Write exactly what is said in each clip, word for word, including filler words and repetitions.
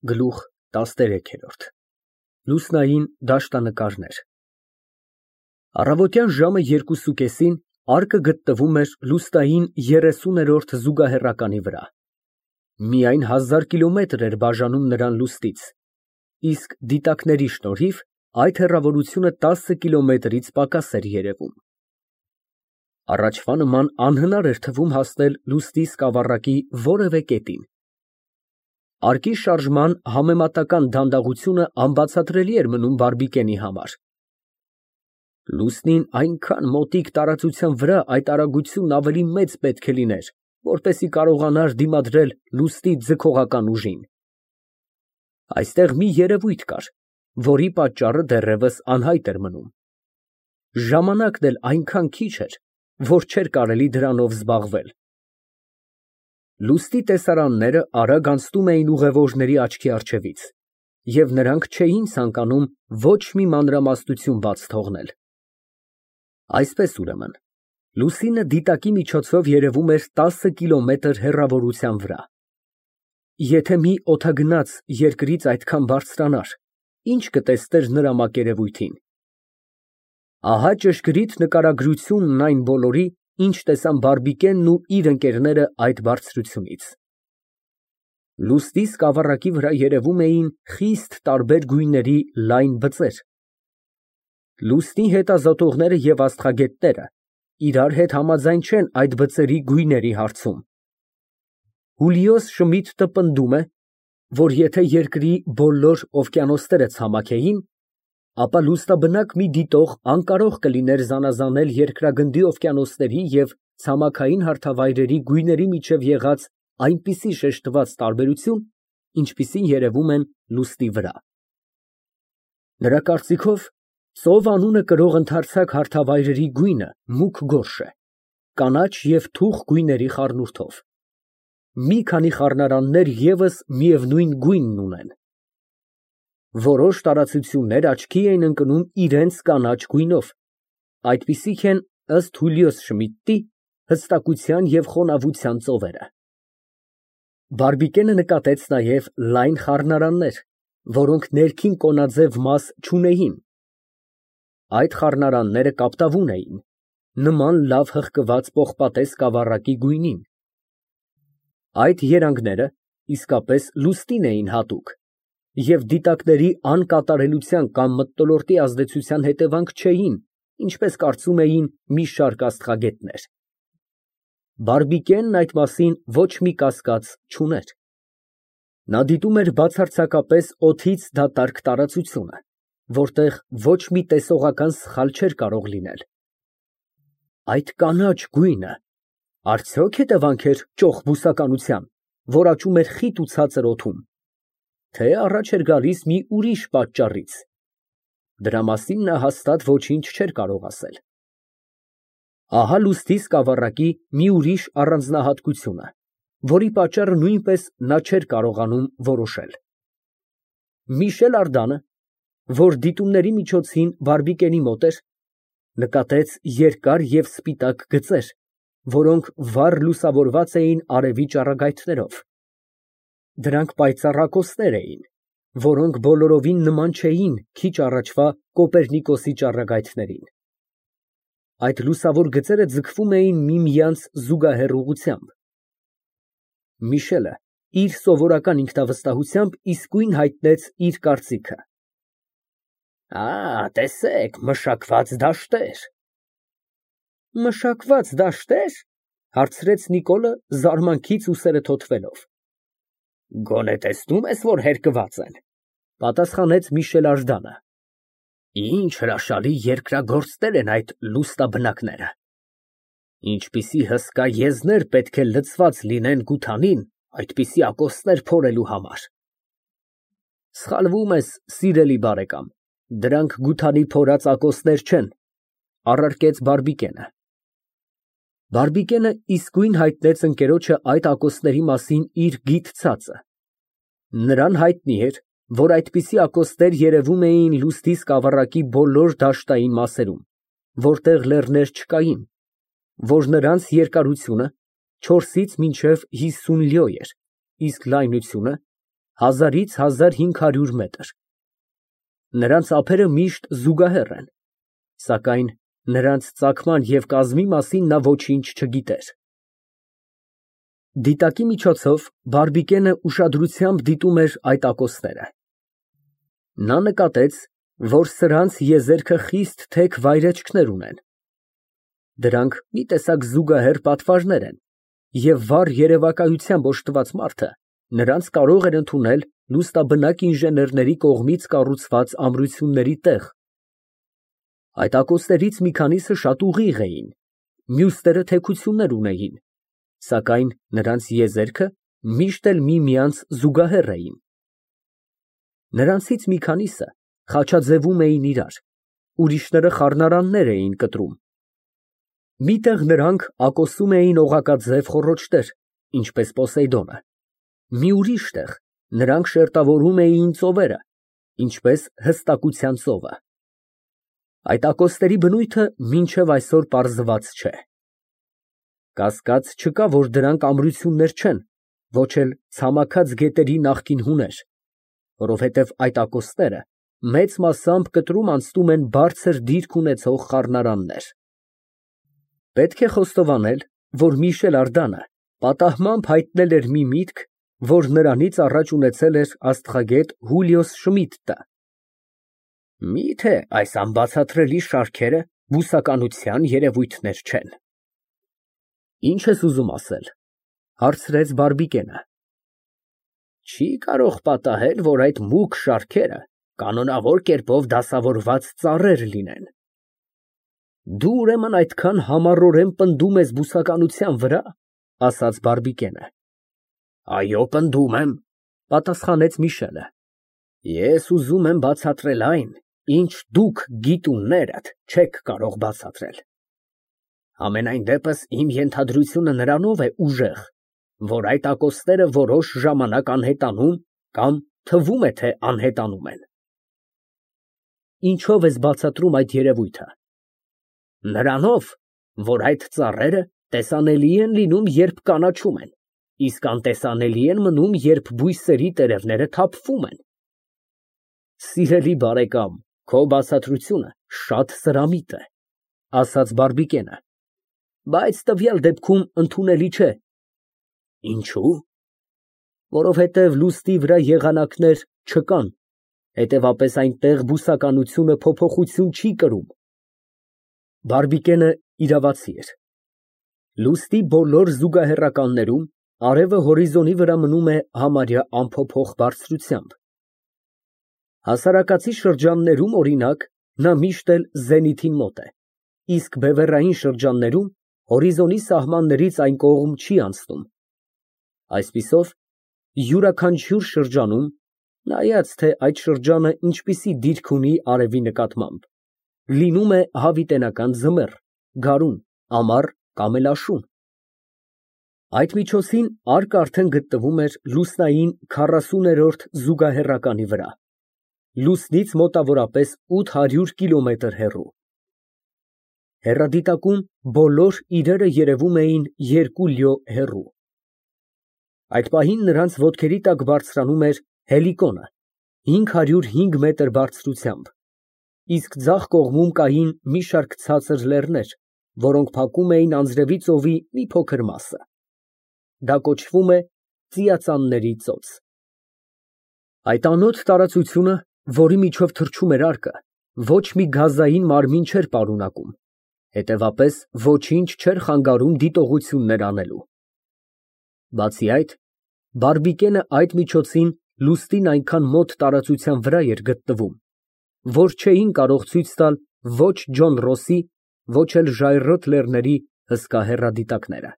Գլուխ տասներեք։ Լուսնային դաշտանկարներ։ Առավոտյան ժամը երկուսուկեսին արկը գտնվում էր լուսնային երեսուներորդ զուգահեռականի վրա։ Միայն հազար կիլոմետր էր բաժանում նրան լուսնից, իսկ դիտակների շնորհիվ այդ հեռավորությունը տասը կիլոմետրից պակաս էր երևում։ Առաջվա նման անհնար էր թվում հասնել լուսնի սկավառակի որևէ կետին։ Արկի շարժման համեմատական դանդաղությունը անբացատրելի էր մնում Բարբիկենի համար։ Լուսնին այնքան մոտիկ տարածության վրա այդ արագությունն ավելի մեծ պետք է լիներ, որպեսզի կարողանար դիմադրել լուսնի ձգողական ուժին։ Այստեղ մի երևույթ կար, որի պատճառը դեռևս անհայտ էր մնում։ Ժամանակն էլ այնքան քիչ էր, որ չէր կարելի դրանով զբաղվել։ Լուսնի տեսարանները արագ անցնում էին ուղևորների աչքի առջևից, և նրանք չէին ցանկանում ոչ մի մանրամասնություն բաց թողնել։ Այսպես, ուրեմն, լուսինը դիտակի միջոցով երևում էր տասը կիլոմետր հեռավորության վրա։ Եթե մի օդագնաց երկրից այդքան բարձրանար, ի՞նչ կտեսներ նրա մակերևույթին։ Ահա ճշգրիտ նկարագրությունն այն բոլորի, ինչ տեսան Բարբիկենն ու իր ընկերները այդ բարձրությունից։ Լուսնի սկավառակի վրա երևում էին խիստ տարբեր գույների լայն բծեր։ Լուսնի հետազոտողները և աստղագետները իրար հետ համաձայն չեն այդ բծերի գույների հարցում։ Հուլիոս Շմիդտը պնդում է, որ եթե երկրի բոլոր օվկիանոսները ցամաքեին, ապա լուսնաբնակ մի դիտող անկարող կլիներ զանազանել երկրագնդի օվկիանոսների և ցամաքային հարթավայրերի գույների միջև եղած այնպիսի շեշտված տարբերություն, ինչպիսին երևում են լուսնի վրա։ Նրա կարծիքով, ծով անունը կրող ընդարձակ հարթավայրերի գույնը մուգ գորշ է, կանաչ և թուխ գույների խառնուրդով։ Մի քանի խառնարաններ ևս միևնույն գույնն ունեն։ Որոշ տարածություններ աչքի էին ընկնում իրենց կանաչ գույնով, այդպիսիք են, ըստ Հուլիոս Շմիդտի, հստակության և խոնավության ծովերը։ Բարբիկենը նկատեց նաև լայն խառնարաններ, որոնք ներքին կոնաձև մաս չունեին։ Այդ խառնարանները կապտավուն էին, նման լավ հղկված պողպատե սկավառակի գույնին։ Այդ երանգները իսկապես լուսնին էին հատուկ և դիտակների անկատարելության կամ մթնոլորտի ազդեցության հետևանք չէին, ինչպես կարծում էին մի շարք աստղագետներ։ Բարբիկենն այդ մասին ոչ մի կասկած չուներ։ Նա դիտում էր բացարձակապես օդից դատարկ տարածությունը, որտեղ ոչ մի տեսողական սխալ չէր կարող լինել։ Այդ կանաչ գույնը արդյոք հետևանք էր ճոխ բուսականության, որ աճում էր խիտ ու ցածր օդում, թե առաջ էր գալիս մի ուրիշ պատճառից։ Դրա մասին նա հաստատ ոչինչ չէր կարող ասել։ Ահա լուսնի սկավառակի մի ուրիշ առանձնահատկությունը, որի պատճառը նույնպես նա չէր կարողանում որոշել։ Միշել Ардանը, որ դիտումների միջոցին Բարբիկենի մոտ էր, նկատեց երկար և սպիտակ գծեր, որոնք վառ լուսավորված էին արևի ճառագայթներով։ Դրանք պայծառ ակոսներ էին, որոնք բոլորովին նման չէին քիչ առաջվա Կոպեռնիկոսի ճառագայթներին։ Այդ լուսավոր գծերը ձգվում էին միմյանց զուգահեռ ուղղությամբ։ Միշելը իր սովորական ինքնավստահությամբ իսկույն հայտնեց իր կարծիքը։ «Ա, տեսեք, մշակված դաշտեր»։ «Մշակված դաշտե՞ր», հարցրեց Նիկոլը զարմանքից ուսերը թոթվելով։ «Գոնե տեսնում ես, որ հերկված են», պատասխանեց Միշել Ардանը։ «Ինչ հրաշալի երկրագործներ են այդ լուսնաբնակները։ Ինչպիսի հսկա եզներ պետք է լցված լինեն գութանին այդպիսի ակոսներ փորելու համար»։ Սխալվում ես, սիրելի բարեկամ, դրանք գութանի փորած ակոսներ չեն, առարկեց Բարբիկենը։ Բարբիկենը իսկույն հայտնեց ընկերոջը այդ ակոսների մասին իր գիտցածը։ Նրան հայտնի էր, որ այդպիսի ակոսներ երևում էին լուսնի սկավառակի բոլոր դաշտային մասերում, որտեղ լեռներ չկային, որ նրանց երկարությունը չորսից մինչև հիսուն լյո էր, իսկ լայնությունը հազարից հազար հինգ հարյուր մետր։ Նրանց ափերը միշտ զուգահեռ են, սակայն նրանց ծագման և կազմի մասին նա ոչինչ չգիտեր։ Դիտակի միջոցով Բարբիկենը ուշադրությամբ դիտում էր այդ ակոսները։ Նա նկատեց, որ սրանց եզերքը խիստ թեք վայրէջքներ ունեն։ Դրանք մի տեսակ զուգահեռ պատվարներ են, և վառ երևակայությամբ օժտված մարդը նրանց կարող էր ընդունել լուսնաբնակ ինժեներների կողմից կառուցված ամրությունների տեղ։ Այդ ակոսներից մի քանիսը շատ ուղիղ էին, մյուսները թեքություններ ունեին, սակայն նրանց եզերքը միշտ էլ միմյանց զուգահեռ էին։ Նրանցից մի քանիսը խաչաձևում էին իրար, ուրիշները խառնարաններ էին կտրում։ Մի տեղ նրանք ակոսում էին օղակաձև խոռոչներ, ինչպես Պոսեյդոնը, մի ուրիշ տեղ նրանք շերտավորում էին ծովերը, ինչպես Հստակության ծովը։ Այդ ակոսների բնույթը մինչև այսօր պարզված չէ։ Կասկած չկա, որ դրանք ամրություններ չեն, ոչ էլ ցամաքած գետերի նախկին հուներ, որովհետև այդ ակոսները մեծ մասամբ կտրում անցնում են բարձր դիրք ունեցող խառնարաններ։ Պետք է խոստովանել, որ Միշել Արդանը պատահմամբ հայտնել էր մի միտք, որ նրանից առաջ ունեցել էր աստղագետ Հուլիոս Շմիդտը։ Մի՞թե այս անբացատրելի շարքերը բուսականության երևույթներ չեն։ Ի՞նչ ես ուզում ասել, հարցրեց Բարբիկենը։ Չի կարող պատահել, որ այդ մուգ շարքերը կանոնավոր կերպով դասավորված ծառեր լինեն։ Դու ուրեմն այդքան համառորեն պնդում ես բուսականության վրա, ասաց Բարբիկենը։ Այո, պնդում եմ, պատասխանեց Միշելը։ Ես ուզում եմ բացատրել այն, ինչ դուք գիտուններդ չեք կարող բացատրել։ Համենայն դեպս իմ ենթադրությունը նրանով է ուժեղ, որ այդ ակոսները որոշ ժամանակ անհետանում կամ թվում է, թե անհետանում են։ Ինչո՞վ ես բացատրում այդ երևույթը։ Նրանով, որ այդ ծառերը տեսանելի են լինում, երբ կանաչում են, իսկ անտեսանելի են մնում, երբ բույսերի տերևները թափվում են։ Սիրելի բարեկամ, քո բացատրությունը շատ սրամիտ է, ասաց Բարբիկենը, բայց տվյալ դեպքում ընդունելի չէ։ Ինչու՞։ Որովհետև լուսնի վրա եղանակներ չկան, հետևապես այնտեղ բուսականությունը փոփոխություն չի կրում։ Բարբիկենը իրավացի էր։ Լուսնի բոլոր զուգահեռականներում արևը հորիզոնի վրա մնում է համարյա անփոփոխ բարձրությամբ։ Հասարակածի շրջաններում, օրինակ, նա միշտ էլ զենիթին մոտ է, իսկ բևեռային շրջաններում հորիզոնի սահմաններից այն կողմ չի անցնում։ Այսպիսով, յուրաքանչյուր շրջանում, նայած թե այդ շրջանը ինչպիսի դիրք ունի արևի նկատմամբ, լինում է հավիտենական ձմեռ, գարուն, ամառ կամ էլ աշուն։ Այդ միջոցին արկը արդեն գտնվում էր լուսնային քառասուներորդ զուգահեռականի վրա, լուսնից մոտավորապես ութ հարյուր կիլոմետր հեռու։ Հեռադիտակում բոլոր իրերը երևում էին երկու լյո հեռու։ Այդ պահին նրանց ոտքերի տակ բարձրանում էր Հելիկոնը հինգ հարյուր հինգ մետր բարձրությամբ, իսկ ձախ կողմում կային մի շարք ցածր լեռներ, որոնք փակում էին Անձրևի ծովի մի փոքր մասը։ Դա կոչվում է Ծիածանների ծոց։ Այդ անոտ տարածությունը, որի միջով թռչում էր արկը, ոչ մի գազային մարմին չէր պարունակում, հետևապես ոչինչ չէր խանգարում դիտողություններ անելու։ Բացի այդ, Բարբիկենը այդ միջոցին լուսնին այնքան մոտ տարածության վրա էր գտնվում, որ չէին կարող ցույց տալ ոչ Ջոն Ռոսի, ոչ էլ ժայռոտ լեռների հսկա հեռադիտակները։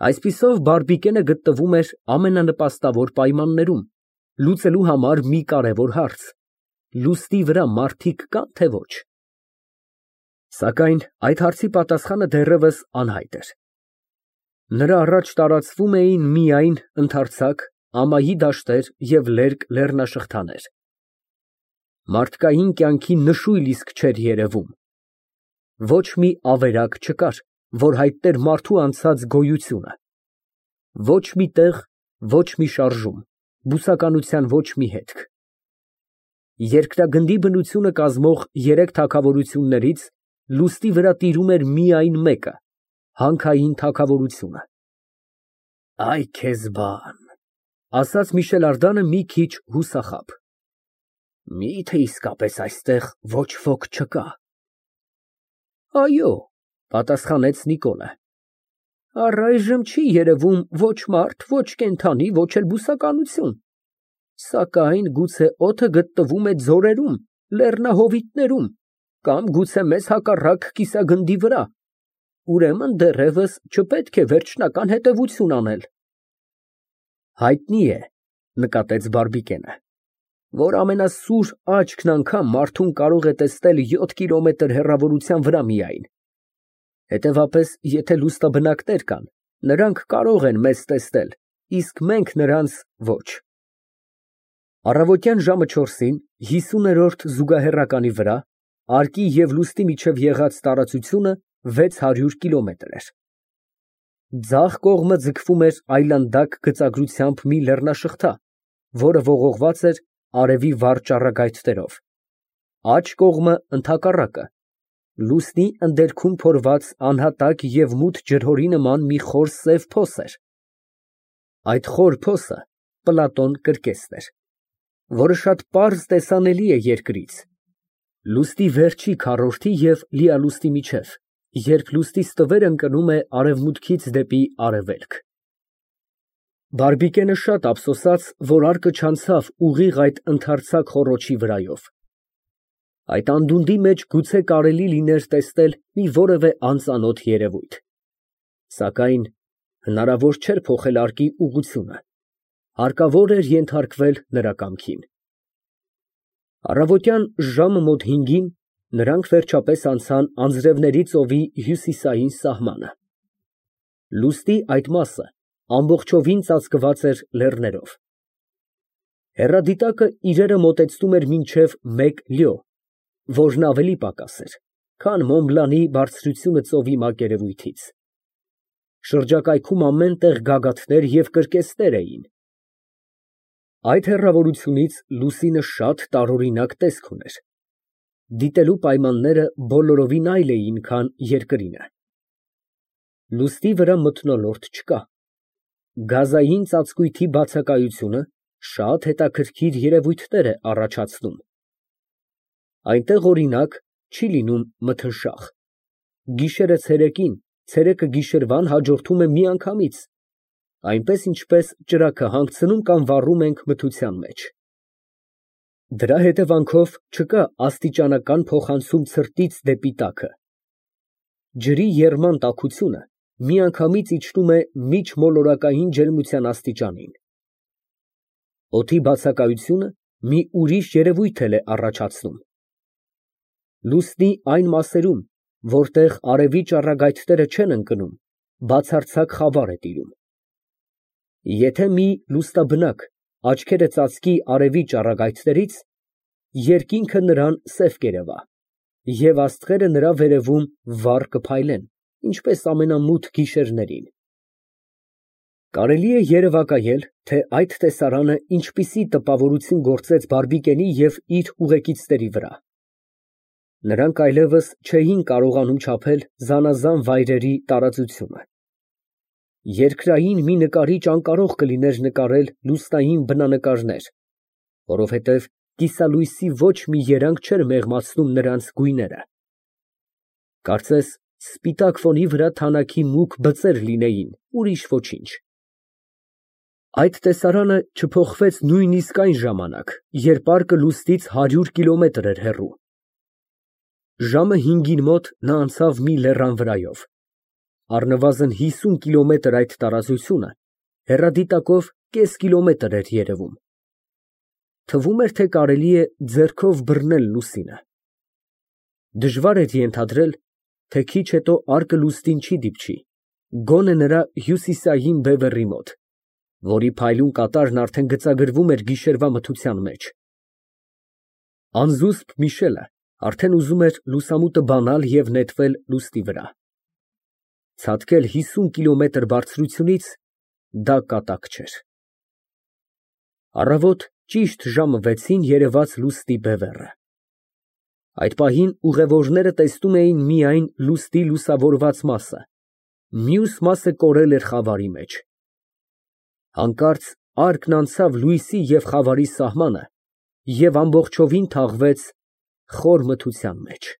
Այսպիսով Բարբիկենը գտնվում էր ամենանպաստավոր պայմաններում, լուծելու համար մի կարևոր հարց. լուսնի վրա մարդիկ կա՞ն, թե ոչ։ Սակայն այդ հարցի պատասխանը դեռևս անհայտ էր։ Նրա առաջ տարածվում էին միայն ընդարձակ, ամայի դաշտեր և լերկ լեռնաշղթաներ։ Մարդկային կյանքի նշույլ իսկ չէր երևում։ Ոչ մի ավերակ չկար, որ հայտներ մարդու անցած գոյությունը։ Ոչ մի տեղ, ոչ մի շարժում։ Բուսականության ոչ մի հետք։ Երկրագնդի բնությունը կազմող երեք թագավորություններից լուստի վրա տիրում էր միայն մեկը՝ հանքային թագավորությունը։ Այ քեզ բան, ասաց Միշել Ардանը մի քիչ հուսախաբ։ Մի՞թե իսկապես այստեղ ոչ ոք չկա։ Այո, պատասխանեց Նիկոլը։ Առայժմ չի երևում ոչ մարդ, ոչ կենդանի, ոչ էլ բուսականություն, սակայն գուցե օդը գտնվում է ձորերում, լեռնահովիտներում կամ գուցե մեզ հակառակ կիսագնդի վրա, ուրեմն դեռևս չպետք է վերջնական հետևություն անել։ Հայտնի է, նկատեց Բարբիկենը, որ ամենասուր աչքն անգամ մարդուն կարող է տեսնել յոթ կիլոմետր հեռավորության վրա միայն, հետևապես, եթե լուստաբնակներ կան, նրանք կարող են մեզ տեսնել, իսկ մենք նրանց ոչ։ Առավոտյան ժամը չորսին հիսուներորդ զուգահեռականի վրա արկի և լուստի միջև եղած տարածությունը վեց հարյուր կիլոմետր էր։ Ձախ կողմը ձգվում էր այլանդակ գծագրությամբ մի լեռնաշղթա, որը ողողված էր արևի վառ ճառագայթներով, աջ կողմը ընդհակառակը, լուսնի ընդերքում փորված անհատակ և մութ ջրհորի նման մի խոր սև փոս էր։ Այդ խոր փոսը Պլատոն կրկեսն էր, որը շատ պարզ տեսանելի է երկրից, լուստի վերջի քառորդի և լիալուստի միջև, երբ լուսնի ստվերն ընկնում է արևմուտքից դեպի արևելք։ Բարբիկենը շատ ափսոսաց, որ արկը չանցավ ուղիղ այդ ընդարձակ խոռոչի վրայով։ Այդ անդունդի մեջ գուցե կարելի լիներ տեսնել մի որևէ անծանոթ երևույթ, սակայն հնարավոր չէր փոխել արկի ուղղությունը, հարկավոր էր ենթարկվել նրա կամքին։ Առավոտյան ժամը մոտ հինգին նրանք վերջապես անցան Անձրևների ծովի հյուսիսային սահմանը։ Լուսնի այդ մասը ամբողջովին ծածկված էր լեռներով։ Հեռադիտակը իրերը մոտեցնում էր մինչև մեկ լյո, որն ավելի պակաս էր, քան Մոնբլանի բարձրությունը ծովի մակերևույթից։ Շրջակայքում ամեն տեղ գագաթներ և կրկեսներ էին։ Այդ հեռավորությունից լուսինը շատ տարօրինակ տեսք ուներ։ Դիտելու պայմանները բոլորովին այլ էին, քան երկրինը։ Լուսնի վրա մթնոլորտ չկա։ Գազային ծածկույթի բացակայությունը շատ հետաքրքիր երևույթներ է առաջացնում։ Այնտեղ, օրինակ, չի լինում մթնշաղ։ Գիշերը ցերեկին, ցերեկը գիշերվան հաջորդում է միանգամից, այնպես ինչպես ճրագը հանգցնում կամ վառում ենք մթության մեջ։ Դրա հետևանքով չկա աստիճանական փոխանցում ցրտից դեպի տաքը։ Ջրի եռման տաքությունը միանգամից իջնում է միջմոլորակային ջերմության աստիճանին։ Օդի բացակայությունը մի ուրիշ երևույթ էլ է առաջացնում։ Լուսնի այն մասերում, որտեղ արևի ճառագայթները չեն ընկնում, բացարձակ խավար է տիրում։ Եթե մի լուսնաբնակ աչքերը ծածկի արևի ճառագայթներից, երկինքը նրան սև կերևա, և աստղերը նրա վերևում վառ կփայլեն, ինչպես ամենամութ գիշերներին։ Կարելի է երևակայել, թե այդ տեսարանը ինչպիսի տպավորություն գործեց Բարբիկենի և իր ուղեկիցների վրա։ Նրանք այլևս չէին կարողանում չափել զանազան վայրերի տարածությունը։ Երկրային մի նկարիչ անկարող կլիներ նկարել լուսնային բնանկարներ, որովհետև կիսալույսի ոչ մի երանգ չէր մեղմացնում նրանց գույները։ Կարծես սպիտակ ֆոնի վրա թանաքի մուգ բծեր լինեին, ուրիշ ոչինչ։ Այդ տեսարանը չփոխվեց նույնիսկ այն ժամանակ, երբ արկը լուսնից հարյուր կիլոմետր էր հեռու։ Ժամը հինգին մոտ նա անցավ մի լեռան վրայով։ Առնվազն հիսուն կիլոմետր այդ տարածությունը հեռադիտակով կես կիլոմետր էր երևում։ Թվում էր, թե կարելի է ձեռքով բռնել լուսինը։ Դժվար էր ենթադրել, թե քիչ հետո արկը լուսնին չի դիպչի, գոնե նրա հյուսիսային բևեռի մոտ, որի փայլուն կատարն արդեն գծագրվում էր գիշերվա մթության մեջ։ Անզուսպ Միշելը արդեն ուզում էր լուսամուտը բանալ և նետվել լուսնի վրա։ Ցատկել հիսուն կիլոմետր բարձրությունից դա կատակ չէր։ Առավոտ ճիշտ ժամը վեցին երևաց լուստի բևեռը։ Այդ պահին ուղևորները տեսնում էին միայն լուստի լուսավորված մասը, մյուս մասը կորել էր խավարի մեջ։ Հանկարծարկն անցավ լույսի և խավարի սահմանը և ամբողջովին թաղվեց խոր մթության մեջ։